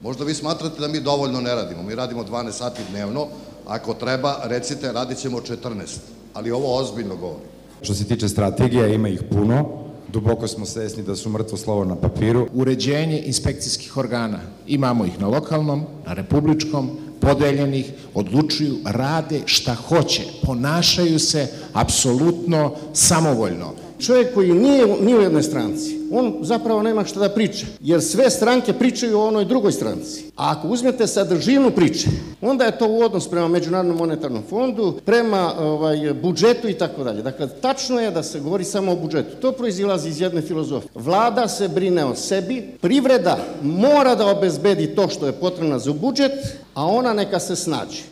Možda vi smatrate da mi dovoljno ne radimo. Mi radimo 12 sati dnevno. Ako treba, recite, radit ćemo 14. Ali ovo ozbiljno govorim. Što se tiče strategija, ima ih puno. Duboko smo svesni da su mrtvo slovo na papiru. Uređenje inspekcijskih organa. Imamo ih na lokalnom, na republičkom, podeljenih, odlučuju, rade šta hoće. Ponašaju se apsolutno samovoljno. Čovjek koji nije u jednoj stranci, on zapravo nema šta da priča, jer sve stranke pričaju o onoj drugoj stranci. A ako uzmete sadržinu priče, onda je to u odnos prema Međunarodnom monetarnom fondu, prema budžetu i tako dalje. Dakle, tačno je da se govori samo o budžetu. To proizilazi iz jedne filozofije. Vlada se brine o sebi, privreda mora da obezbedi to što je potrebno za budžet, a ona neka se snađe.